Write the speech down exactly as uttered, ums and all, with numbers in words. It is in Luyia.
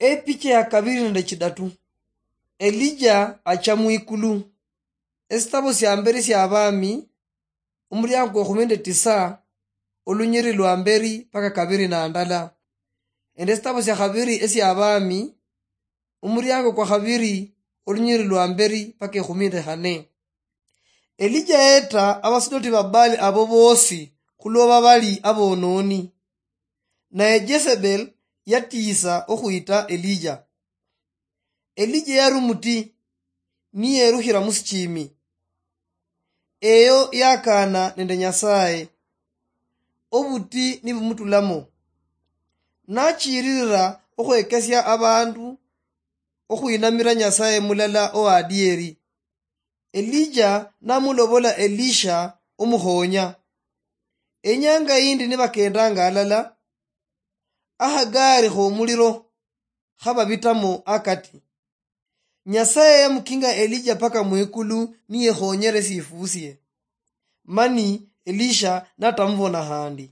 Epicha ya kabiri nende chidatu. Elija acha mwikulu. Esitabo sia mberi sia Abami, omuriango kwa ekhumi nende tisa, olunyiri lwa mberi paka kabiri na ndala. Nende esitabo sia khabiri esia Abami, omuriango kwa khabiri, olunyiri lwa mberi paka ekhumi nende khane. Elija yeta abasidoti ba Baali abo boosi khulwa babali abonooni. Naye Jezebel yatiisa okhwita Elija. Elija yari omuti, niyerukhira musichimi. Eyo yakaana nende Nyasaye. Obuti nibumutulamo. Nachiririra okhwekesia abandu okhwinamira Nyasaye mulala owadieri. Elija namulobola Elisha omukhonya. Enyanga yindi nibakendanga alala, akhagaari khomuliro khababitamo akati. Nyasaye yamukinga Elija paka mwikulu niyekhonyere sifusie. Mani Elisha natamubona khandi.